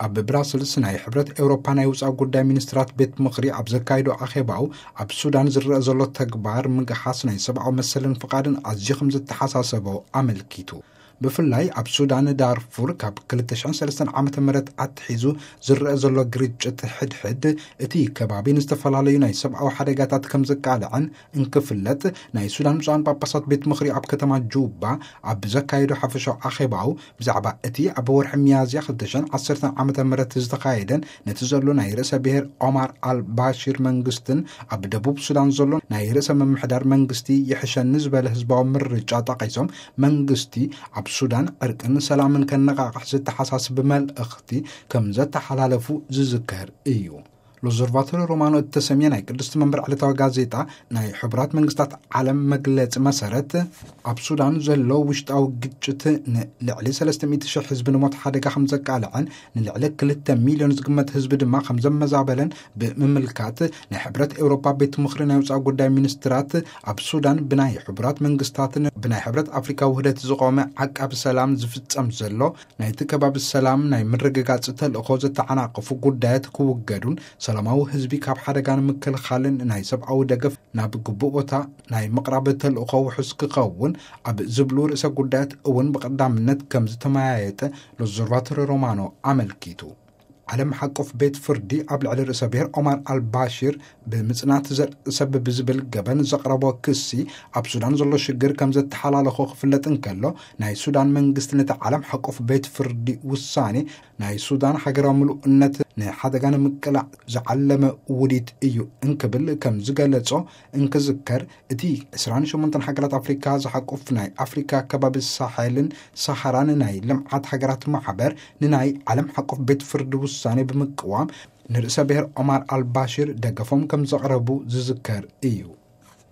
ኣብ ብራስልስ ናይ ሕብረት ኤውሮፓ ናይ ውፃእ ጉዳይ ሚኒስትራት ቤት ምኽሪ ኣብ ዘካይዶ ኣኼባኡ፣ ኣብ ሱዳን ዝረአ ዘሎ ተግባር ምግሓስ ናይ ሰብኣዊ መሰልን ፍቓድን ኣዝዩ ከም ዝተሓሳሰቦ ኣመልኪቱ። ብፍላይ ኣብ ሱዳን ዳርፉር ካብ ክልተ ሽሕን ሰለስተን ዓመተ ምህረት ኣትሒዙ ዝረአ ዘሎ ግርጭት ሕድሕድ እቲ ከባቢ ንዝተፈላለዩ ናይ ሰብኣዊ ሓደጋታት ከም ዘቃልዐን እንክፍለጥ፣ ናይ ሱዳን ብፁዓን ጳጳሳት ቤት ምኽሪ ኣብ ከተማ ጁባ ኣብ ዘካየዶ ሓፈሻዊ ኣኼባኡ፣ ብዛዕባ እቲ ኣብ ወርሒ ሚያዝያ ክልተ ሽሕን ዓሰርተን ዓመተ ምህረት ዝተኻየደን ነቲ ዘሎ ናይ ርእሰ ብሔር ኦማር ኣልባሺር መንግስትን ኣብ ደቡብ ሱዳን ዘሎ ናይ ርእሰ ምምሕዳር መንግስቲ ይሕሸኒ ዝበለ ህዝባዊ ምርጫ ጠቒሶም፣ መንግስቲ ኣብ ሱዳን ዕርቅን ሰላምን ከነቓቕሕ ዘተሓሳስብ መልእኽቲ ከም ዘተሓላለፉ ዝዝከር እዩ። ሎዘርቫቶሪ ሮማኖ እተሰምየ ናይ ቅድስቲ መንበር ዕለታዊ ጋዜጣ፣ ናይ ሕቡራት መንግስታት ዓለም መግለጺ መሰረት፣ ኣብ ሱዳን ዘሎ ውሽጣዊ ግጭት ንልዕሊ ሰለስተ ሚእቲ ሽሕ ህዝቢ ንሞት ሓደጋ ከም ዘቃልዐን ንልዕሊ ክልተ ሚልዮን ዝግመት ህዝቢ ድማ ከም ዘመዛበለን ብምምልካት፣ ናይ ሕብረት ኤውሮፓ ቤት ምኽሪ ናይ ውፃእ ጉዳይ ሚኒስትራት ኣብ ሱዳን ብናይ ሕቡራት መንግስታትን ብናይ ሕብረት ኣፍሪካ ውህደት ዝቆመ ዓቃቢ ሰላም ዝፍጸም ዘሎ ናይቲ ከባቢ ሰላም ናይ ምርግጋጽ ተልእኾ ዘተዓናቕፉ ጉዳያት ክውገዱን ሰላማዊ ህዝቢ ካብ ሓደጋ ንምክልኻልን ናይ ሰብኣዊ ደገፍ ናብ ግቡእ ቦታ ናይ ምቕራብ ተልእኾ ውሑስ ክኸውን ኣብ ዝብሉ ርእሰ ጉዳያት እውን ብቐዳምነት ከም ዝተመያየጠ ሎዘርቫቶሪ ሮማኖ ኣመልኪቱ። ዓለም ሓቆፍ ቤት ፍርዲ ኣብ ልዕሊ ርእሰ ብሔር ኦማር ኣልባሺር ብምጽናት ዘርኢ ሰብ ብዝብል ገበን ዘቕረቦ ክሲ፣ ኣብ ሱዳን ዘሎ ሽግር ከም ዘተሓላለኾ ክፍለጥ እንከሎ፣ ናይ ሱዳን መንግስቲ ነቲ ዓለም ሓቆፍ ቤት ፍርዲ ውሳኔ ናይ ሱዳን ሃገራዊ ምሉእነት ንሓደጋ ንምቅላዕ ዝዓለመ ውዲት እዩ እንክብል ከም ዝገለጾ እንክዝከር፣ እቲ ዕስራን ሸሞንተን ሃገራት ኣፍሪካ ዝሓቁፍ ናይ ኣፍሪካ ከባቢ ሳሐልን ሰሃራን ናይ ልምዓት ሃገራት ማሕበር ንናይ ዓለም ሓቆፍ ቤት ፍርዲ ውሳኔ ብምቅዋም ንርእሰ ብሔር ኦማር ኣልባሺር ደገፎም ከም ዘቕረቡ ዝዝከር እዩ።